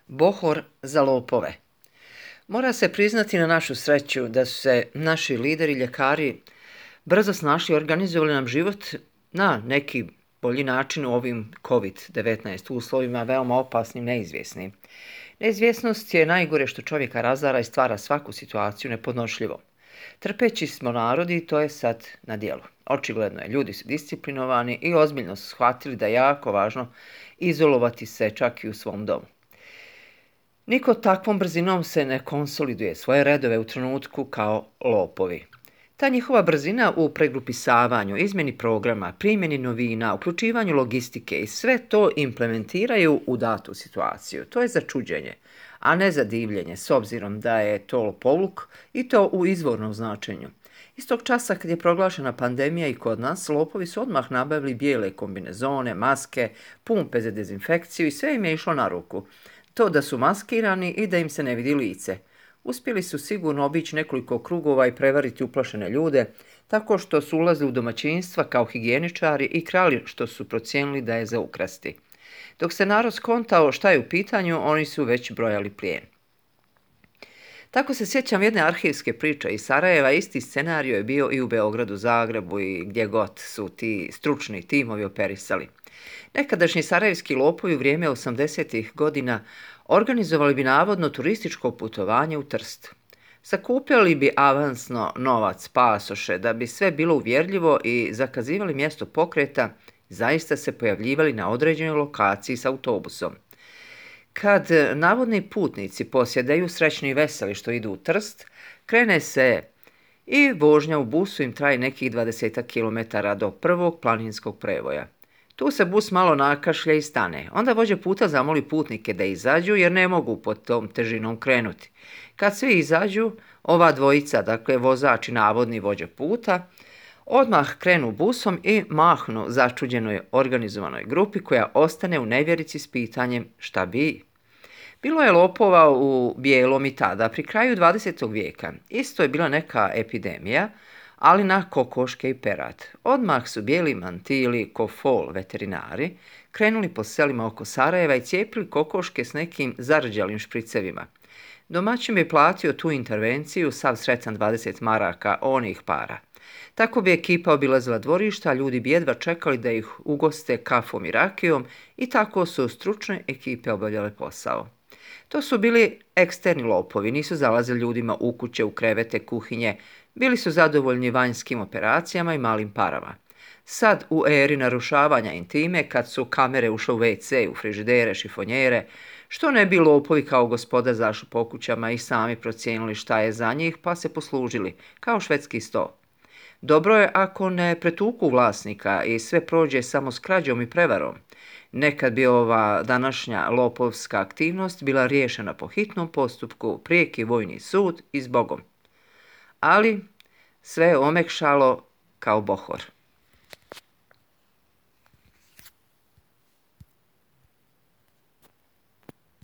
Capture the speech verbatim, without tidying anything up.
Bohor za lopove. Mora se priznati na našu sreću da su se naši lideri, ljekari brzo snašli i organizovali nam život na neki bolji način u ovim kovid devetnaest uslovima, veoma opasnim, neizvjesnim. Neizvjesnost je najgore što čovjeka razara i stvara svaku situaciju nepodnošljivom. Trpeći smo narodi, to je sad na djelu. Očigledno je, ljudi su disciplinovani i ozbiljno su shvatili da je jako važno izolovati se čak i u svom domu. Niko takvom brzinom se ne konsoliduje svoje redove u trenutku kao lopovi. Ta njihova brzina u pregrupisavanju, izmjeni programa, primjeni novina, uključivanju logistike i sve to implementiraju u datu situaciju. To je za čuđenje, a ne za divljenje, s obzirom da je to lopovluk i to u izvornom značenju. Istog časa kad je proglašena pandemija i kod nas, lopovi su odmah nabavili bijele kombinezone, maske, pumpe za dezinfekciju i sve im je išlo na ruku. To da su maskirani i da im se ne vidi lice. Uspjeli su sigurno obići nekoliko krugova i prevariti uplašene ljude, tako što su ulazili u domaćinstva kao higijeničari i krali što su procijenili da je za ukrasti. Dok se narod skontao šta je u pitanju, oni su već brojali plijen. Tako se sjećam jedne arhivske priče iz Sarajeva, isti scenario je bio i u Beogradu, Zagrebu i gdje god su ti stručni timovi operisali. Nekadašnji sarajevski lopovi u vrijeme osamdesetih godina organizovali bi navodno turističko putovanje u Trst. Sakupljali bi avansno novac, pasoše, da bi sve bilo uvjerljivo i zakazivali mjesto pokreta, zaista se pojavljivali na određenoj lokaciji s autobusom. Kad navodni putnici posjedaju srećni i veseli što idu u Trst, krene se i vožnja u busu im traje nekih dvadesetak kilometara do prvog planinskog prevoja. Tu se bus malo nakašlja i stane. Onda vođa puta zamoli putnike da izađu jer ne mogu pod tom težinom krenuti. Kad svi izađu, ova dvojica, dakle vozač i navodni vođa puta, odmah krenu busom i mahnu začuđenoj organizovanoj grupi koja ostane u nevjerici s pitanjem šta bi. Bilo je lopova u bijelom i tada, pri kraju dvadesetog vijeka. Isto je bila neka epidemija, ali na kokoške i perad. Odmah su bijeli mantili, ko fol veterinari, krenuli po selima oko Sarajeva i cijepili kokoške s nekim zarđalim špricevima. Domaćin bi platio tu intervenciju sav sretan dvadeset maraka onih para. Tako bi ekipa obilazila dvorišta, a ljudi bi jedva čekali da ih ugoste kafom i rakijom i tako su stručne ekipe obavljale posao. To su bili eksterni lopovi, nisu zalazili ljudima u kuće, u krevete, kuhinje, bili su zadovoljni vanjskim operacijama i malim parama. Sad u eri narušavanja intime, kad su kamere ušle u ve ce, u frižidere, šifonjere, što ne bi lopovi kao gospoda zašli po kućama i sami procijenili šta je za njih, pa se poslužili, kao švedski sto. Dobro je ako ne pretuku vlasnika i sve prođe samo s krađom i prevarom. Nekad bi ova današnja lopovska aktivnost bila riješena po hitnom postupku, prijeki vojni sud i zbogom. Ali sve je omekšalo kao Bohor.